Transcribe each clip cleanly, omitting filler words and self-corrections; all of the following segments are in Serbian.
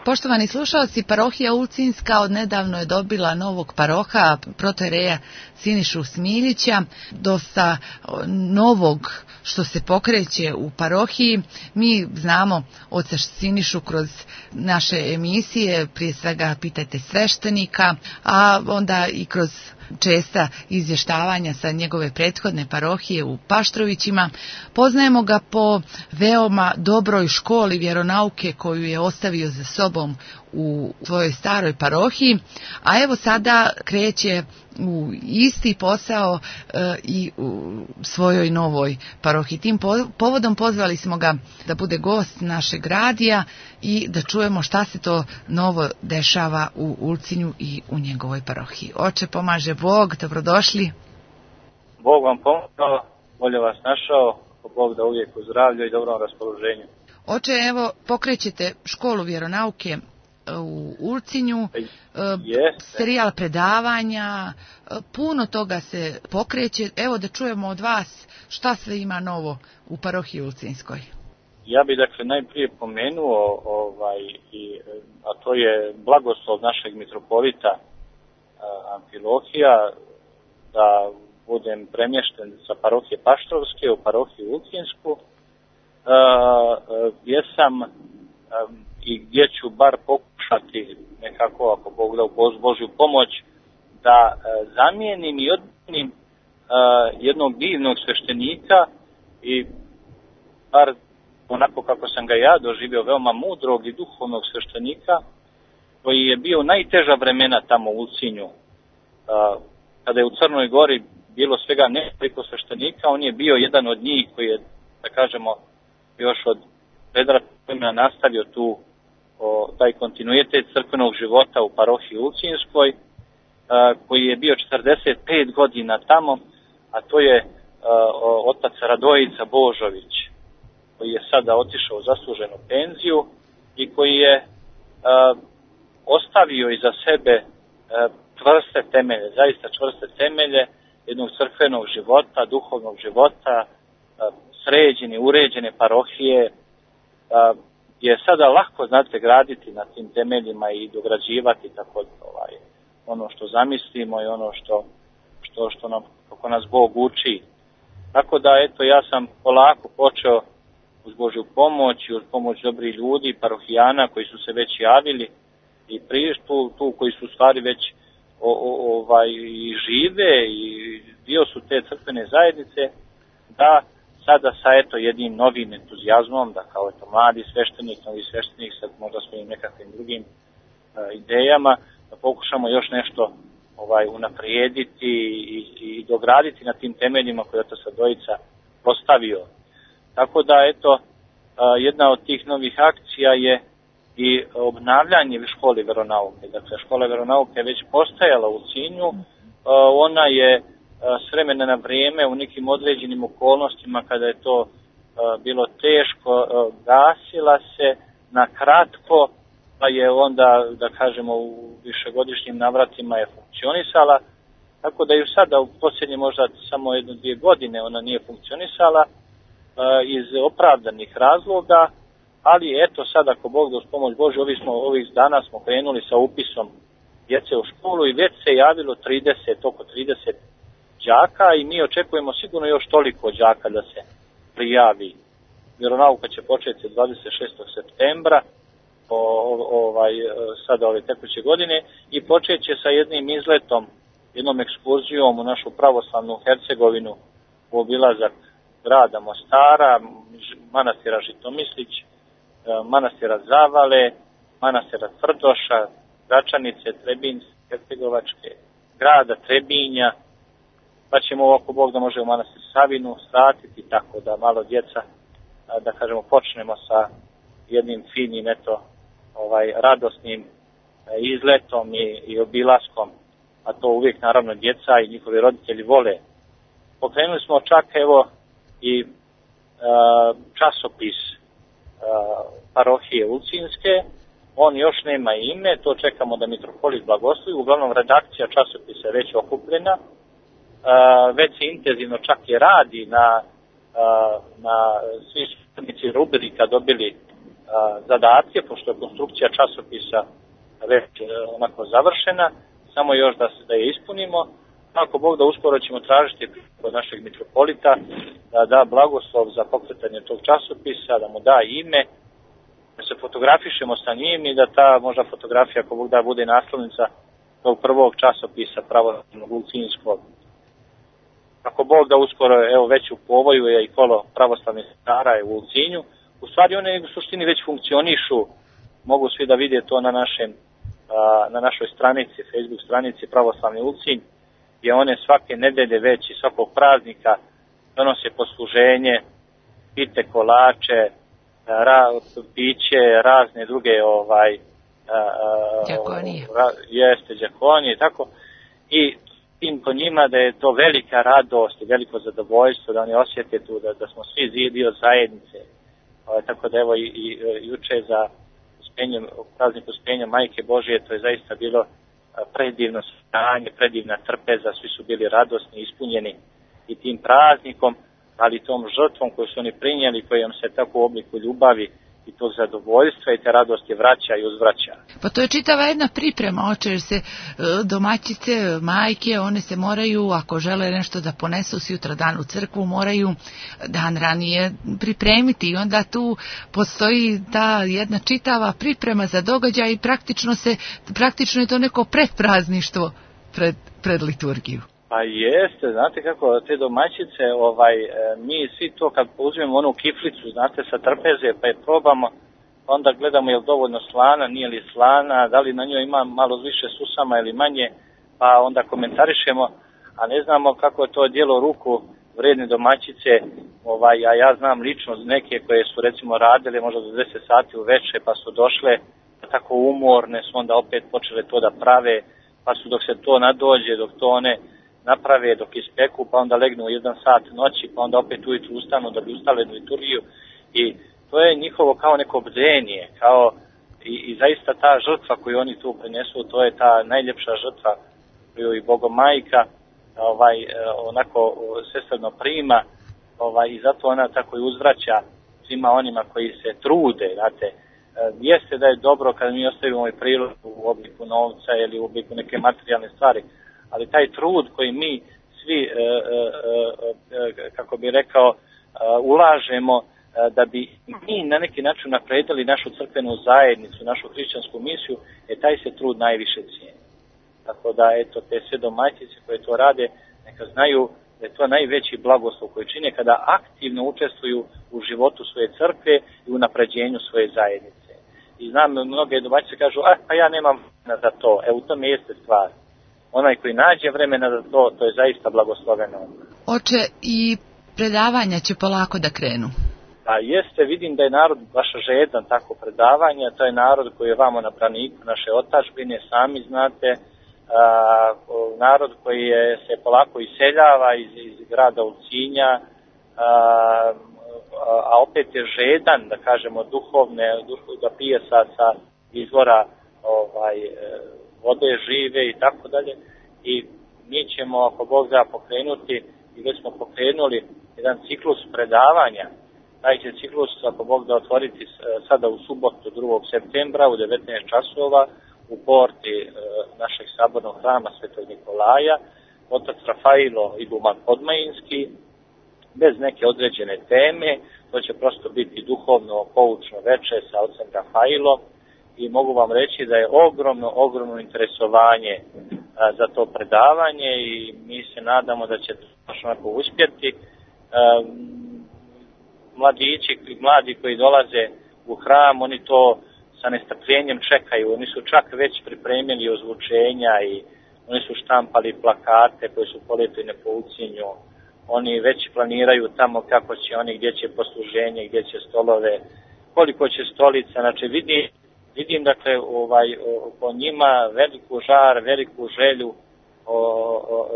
Poštovani slušalci, parohija Ulcinska odnedavno je dobila novog paroha, protoijereja Sinišu Smiljića, dosta novog što se pokreće u parohiji. Mi znamo oca Sinišu kroz naše emisije, prije svega Pitajte sveštenika, a onda i kroz česta izvještavanja sa njegove prethodne parohije u Paštrovićima. Poznajemo ga po veoma dobroj školi vjeronauke koju je ostavio za sobom u svojoj staroj parohiji, a evo sada kreće u isti posao i u svojoj novoj parohiji. Tim povodom pozvali smo ga da bude gost našeg radija i da čujemo šta se to novo dešava u Ulcinju i u njegovoj parohiji. Oče, pomaže Bog, dobrodošli. Bog vam pomogao, bolje vas našao, Bog da uvijek u zdravlju i dobrom raspoloženju. Oče, evo pokrećete školu vjeronauke u Ulcinju, serijal predavanja, puno toga se pokreće. Evo da čujemo od vas šta sve ima novo u parohiji Ulcinskoj. Ja bih dakle najprije pomenuo, a to je blagoslov našeg mitropolita Amfilohija, da budem premješten sa parohije Paštrovske u parohiju Ulcinsku, gdje sam i gdje ću bar pokušati nekako, ako Bog da uz Božju pomoć, da zamijenim i odmijenim jednog divnog sveštenika i bar onako kako sam ga ja doživio, veoma mudrog i duhovnog sveštenika, koji je bio najteža vremena tamo u Ulcinju. Kada je u Crnoj Gori bilo svega nekoliko sveštenika, on je bio jedan od njih koji je, da kažemo, još od predratnog nastavio taj kontinuitet crkvenog života u parohiji Ulcinskoj, koji je bio 45 godina tamo, a to je otac Radojica Božović, koji je sada otišao u zasluženu penziju i koji je ostavio iza sebe čvrste temelje, zaista čvrste temelje jednog crkvenog života, duhovnog života, sređene, uređene parohije, je sada lako, znate, graditi na tim temeljima i dograđivati tako ono što zamislimo i ono što nam, kako nas Bog uči. Tako da, eto, ja sam polako počeo uz Božju pomoć i uz pomoć dobrih ljudi, parohijana koji su se već javili i tu koji su stvari već i žive i dio su te crkvene zajednice, da sada sa jednim novim entuzijazmom, da kao mladi novi sveštenik sa možda svojim nekakvim drugim idejama, da pokušamo još nešto unaprijediti i dograditi na tim temeljima koje je otac Radojica postavio. Tako da, eto, jedna od tih novih akcija je i obnavljanje škole veronauke. Dakle, škola veronauke je već postajala u Ulcinju, ona je s vremena na vrijeme u nekim određenim okolnostima kada je to bilo teško, gasila se na kratko, pa je onda, da kažemo, u višegodišnjim navratima je funkcionisala, tako da ju sada u posljednje možda samo 1-2 godine ona nije funkcionisala iz opravdanih razloga, ali eto sad ako Bog da uz pomoć Božju, ovih dana smo krenuli sa upisom djece u školu i već se javilo oko 30 đaka i mi očekujemo sigurno još toliko đaka da se prijavi. Vjeronauka će početi 26. septembra sada ove tekuće godine i počet će sa jednim izletom, jednom ekskurzijom u našu pravoslavnu Hercegovinu u obilazak grada Mostara, manastira Žitomislić, manastira Zavale, manastira Tvrdoša, Gračanice, Trebinske, Hercegovačke, grada Trebinja, pa ćemo ako Bog da može u manastir Savinu svratiti, tako da malo djeca, da kažemo, počnemo sa jednim finim, radosnim izletom i obilaskom, a to uvijek naravno djeca i njihovi roditelji vole. Pokrenuli smo čak i časopis parohije Ulcinske, on još nema ime, to čekamo da mitropolit blagoslovi, uglavnom redakcija časopisa je već okupljena, već se intenzivno čak i radi na svi službenici rubrika dobili zadatke, pošto je konstrukcija časopisa već onako završena, samo još da je ispunimo. Ako Bog da, uskoro ćemo tražiti od našeg mitropolita da da blagoslov za pokretanje tog časopisa, da mu da ime, da se fotografišemo sa njim i da ta možda fotografija, ako Bog da, bude naslovnica tog prvog časopisa pravoslavnog ulcinskog. Ako Bog da, uskoro, evo već u povoju je i kolo pravoslavnih sestara u Ulcinju. U stvari one u suštini već funkcionišu, mogu svi da vide to na našoj stranici, Facebook stranici Pravoslavni Ulcinj, gdje one svake nedelje već i svakog praznika donose posluženje, pite, kolače, piće, razne druge đakonije, tako. I tim po njima da je to velika radost i veliko zadovoljstvo, da oni osjete tu da smo svi dio zajednice. Tako da evo i juče za praznik Uspenja Majke Božije, to je zaista bilo predivno stanje, predivna trpeza, svi su bili radosni, ispunjeni i tim praznikom, ali tom žrtvom koju su oni prinijeli, kojom se tako u obliku ljubavi i tog zadovoljstva i te radosti vraća i uzvraća. Pa to je čitava jedna priprema, oče, jer se domaćice, majke, one se moraju, ako žele nešto da ponesu sutra dan u crkvu, moraju dan ranije pripremiti i onda tu postoji ta jedna čitava priprema za događaj i praktično je to neko predprazništvo pred liturgiju. Pa jeste, znate kako, te domaćice, mi svi to kad uzmemo onu kiflicu, znate, sa trpeze, pa je probamo, onda gledamo je li dovoljno slana, nije li slana, da li na njoj ima malo više susama ili manje, pa onda komentarišemo, a ne znamo kako je to djelo ruku vredne domaćice, a ja znam lično neke koje su recimo radile možda do 10 sati uveče, pa su došle tako umorne, su onda opet počele to da prave, pa su dok se to nadođe, dok to one naprave, dok ispeku, pa onda legnu u 1 sat noći, pa onda opet ujutru ustanu da bi ustale na liturgiju i to je njihovo kao neko bdenje, kao i zaista ta žrtva koju oni tu prinesu, to je ta najljepša žrtva koju i Bogomajka onako sestrno prima i zato ona tako i uzvraća svima onima koji se trude, znate. Jeste da je dobro kada mi ostavimo ovaj prilog u obliku novca ili u obliku neke materijalne stvari, ali taj trud koji mi svi, kako bi rekao, ulažemo da bi mi na neki način napredili našu crkvenu zajednicu, našu hrišćansku misiju, taj se trud najviše cijeni. Tako da, eto, te sve domaćice koje to rade, neka znaju da je to najveći blagoslov koji čine kada aktivno učestvuju u životu svoje crkve i u napređenju svoje zajednice. I znam, mnoge domaćice kažu, pa ja nemam vremena za to, u tome jeste stvar. Onaj koji nađe vremena za to, to je zaista blagosloveno. Oče, i predavanja će polako da krenu. Pa jeste, vidim da je narod baš žedan tako predavanja, to je narod koji je vamo na braniku naše otadžbine, sami znate, narod koji se polako iseljava iz grada Ulcinja, a opet je žedan, da kažemo, da pije sa izvora vode žive i tako dalje. I mi ćemo, ako Bog da, pokrenuti, i već smo pokrenuli jedan ciklus predavanja. Taj će ciklus, ako Bog da, otvoriti sada u subotu 2. septembra u 19 časova u porti našeg sabornog hrama Svetog Nikolaja, otac Rafailo Iguman Podmajinski, bez neke određene teme. To će prosto biti duhovno poučno veče sa ocem Rafailom i mogu vam reći da je ogromno interesovanje za to predavanje i mi se nadamo da će to baš onako uspjeti. Mladi koji dolaze u hram, oni to sa nestrpljenjem čekaju, oni su čak već pripremili ozvučenja i oni su štampali plakate koji su polepljene po Ulcinju, oni već planiraju tamo kako će oni, gdje će posluženje, gdje će stolove, koliko će stolica, znači vidim dakle po njima veliku žar, veliku želju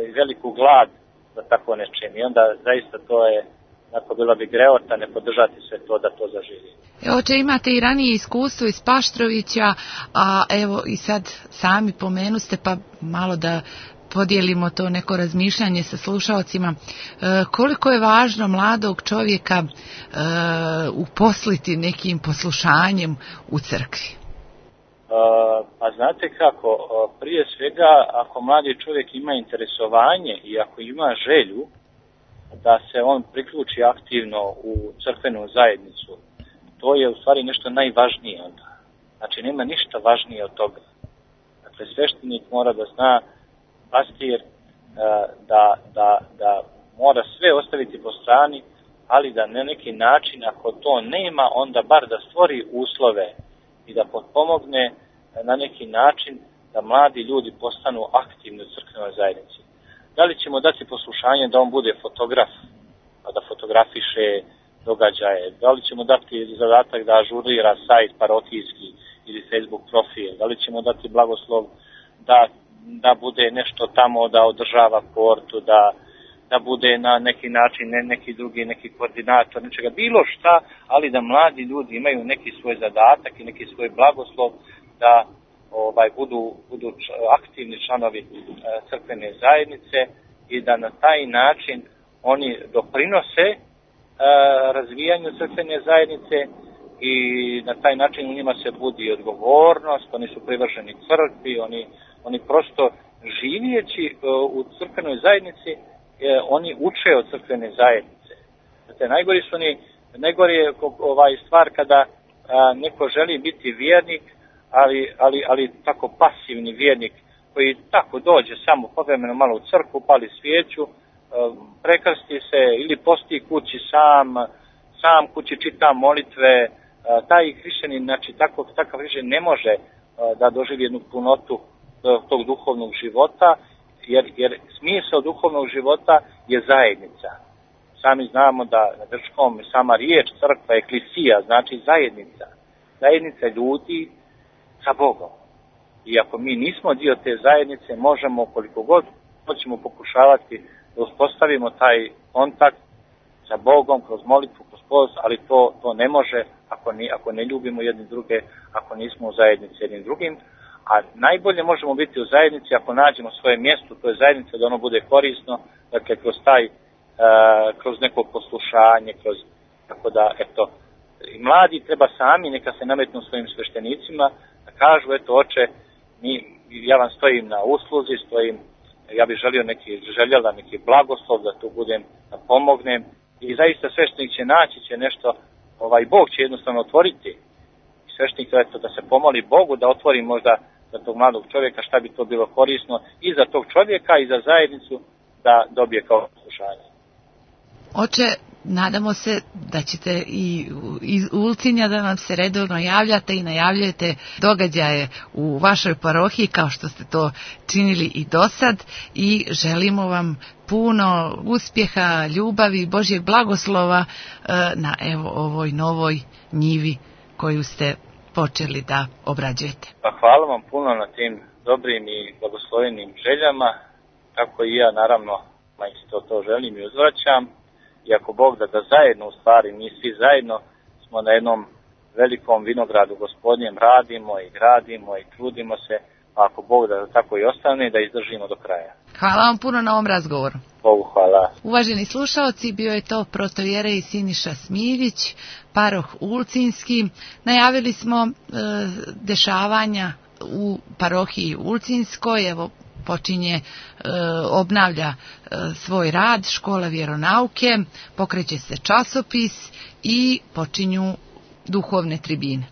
i veliku glad za tako nečem i onda zaista to je, ako bila bi greota ne podržati sve to da to zaživi. Oče, imate i ranije iskustvo iz Paštrovića, a evo i sad sami pomenuste, pa malo da podijelimo to neko razmišljanje sa slušaocima. Koliko je važno mladog čovjeka uposliti nekim poslušanjem u crkvi? Pa znate kako, prije svega ako mladi čovjek ima interesovanje i ako ima želju da se on priključi aktivno u crkvenu zajednicu, to je u stvari nešto najvažnije onda. Znači nema ništa važnije od toga. Dakle, sveštenik mora da zna, pastir, da mora sve ostaviti po strani, ali da na neki način, ako to nema, onda bar da stvori uslove i da potpomogne na neki način da mladi ljudi postanu aktivni u crkvenoj zajednici. Da li ćemo dati poslušanje da on bude fotograf, da fotografiše događaje, da li ćemo dati zadatak da ažurira sajt parohijski ili Facebook profil, da li ćemo dati blagoslov da bude nešto tamo, da održava portu, da bude na neki način neki koordinator, nečega, bilo šta, ali da mladi ljudi imaju neki svoj zadatak i neki svoj blagoslov da budu aktivni članovi crkvene zajednice i da na taj način oni doprinose razvijanju crkvene zajednice i na taj način u njima se budi odgovornost, oni su privrženi crkvi, oni prosto živijeći u crkvenoj zajednici, oni uče od crkvene zajednice. Znate, najgori je stvar kada neko želi biti vjernik, ali tako pasivni vjernik koji tako dođe samo povremeno malo u crkvu, pali svijeću, prekrsti se ili posti kući sam kući čita molitve, taj hrišćanin, znači takav hrišćanin ne može da doživi jednu punotu tog duhovnog života, jer smisao duhovnog života je zajednica. Sami znamo da na grčkom sama riječ crkva, eklisija, znači zajednica ljudi sa Bogom. I ako mi nismo dio te zajednice, možemo koliko god hoćemo pokušavati da uspostavimo taj kontakt sa Bogom kroz molitvu, kroz post, ali to ne može ako ne ljubimo jedni druge, ako nismo u zajednici jednim drugim. A najbolje možemo biti u zajednici ako nađemo svoje mjesto, to je zajednica, da ono bude korisno, dakle kroz neko poslušanje, tako da, eto, i mladi treba sami, neka se nametnu svojim sveštenicima, da kažu, eto, oče, ja vam stojim na usluzi, ja bih željela neki blagoslov da tu budem, da pomognem, i zaista sveštenik će naći nešto, Bog će jednostavno otvoriti. I sveštenik, eto, da se pomoli Bogu, da otvori možda za tog mladog čovjeka šta bi to bilo korisno i za tog čovjeka i za zajednicu da dobije kao slušanje. Oče, nadamo se da ćete i iz Ulcinja da nam se redovno javljate i najavljujete događaje u vašoj parohiji kao što ste to činili i dosad, i želimo vam puno uspjeha, ljubavi, Božjeg blagoslova na ovoj novoj njivi koju ste počeli da obrađujete. Pa hvala vam puno na tim dobrim i blagoslovenim željama, tako i ja naravno isto to želim i uzvraćam. I ako Bog da zajedno, u stvari mi svi zajedno smo na jednom velikom vinogradu Gospodnjem, radimo i gradimo i trudimo se, a ako Bog da tako i ostane, da izdržimo do kraja. Hvala vam puno na ovom razgovoru. Bogu hvala. Uvaženi slušaoci, bio je to protoijerej Siniša Smiljić, paroh Ulcinski. Najavili smo dešavanja u parohiji Ulcinskoj, evo počinje, obnavlja svoj rad škola vjeronauke, pokreće se časopis i počinju duhovne tribine.